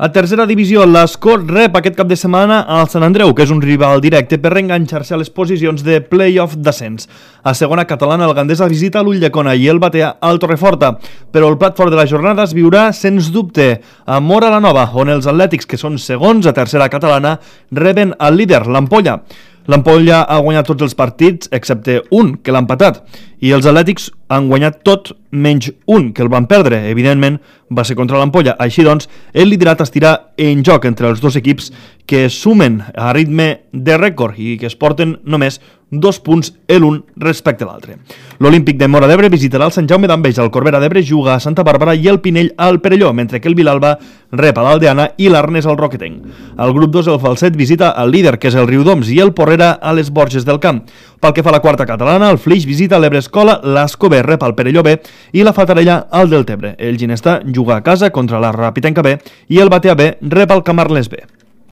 A tercera divisió, l'Escó rep aquest cap de setmana al Sant Andreu, que és un rival directe per reenganxar-se a les posicions de play-off d'ascens. A segona catalana, el Gandesa visita l'Ulldecona i el Batea al Torreforta, però el plat fort de la jornada es viurà, sens dubte, a Móra la Nova, on els atlètics, que són segons a tercera catalana, reben el líder, l'Ampolla. L'Ampolla ha guanyat tots els partits, excepte un, que l'ha empatat, i els atlètics han guanyat tot menys un, que el van perdre. Evidentment, va ser contra l'Ampolla. Així doncs, el liderat estirà en joc entre els dos equips que sumen a ritme de rècord i que es porten només 2 punts l'un respecte a l'altre. L'Olímpic de Móra d'Ebre visitarà el Sant Jaume d'Enveja, el Corbera d'Ebre juga a Santa Bàrbara i el Pinell al Perelló, mentre que el Vilalba rep a l'Aldeana i l'Arnes al Roquetenc. Al grup 2, el Falset visita el líder, que és el Riudoms, i el Porrera a les Borges del Camp. Pel que fa a la quarta catalana, el Flix visita l'Ebrescola, l'Escober rep al Perelló B i la Fatarella al Deltebre. El Ginestà juga a casa contra la Rapitenca B i el Batea B rep al Camarles B.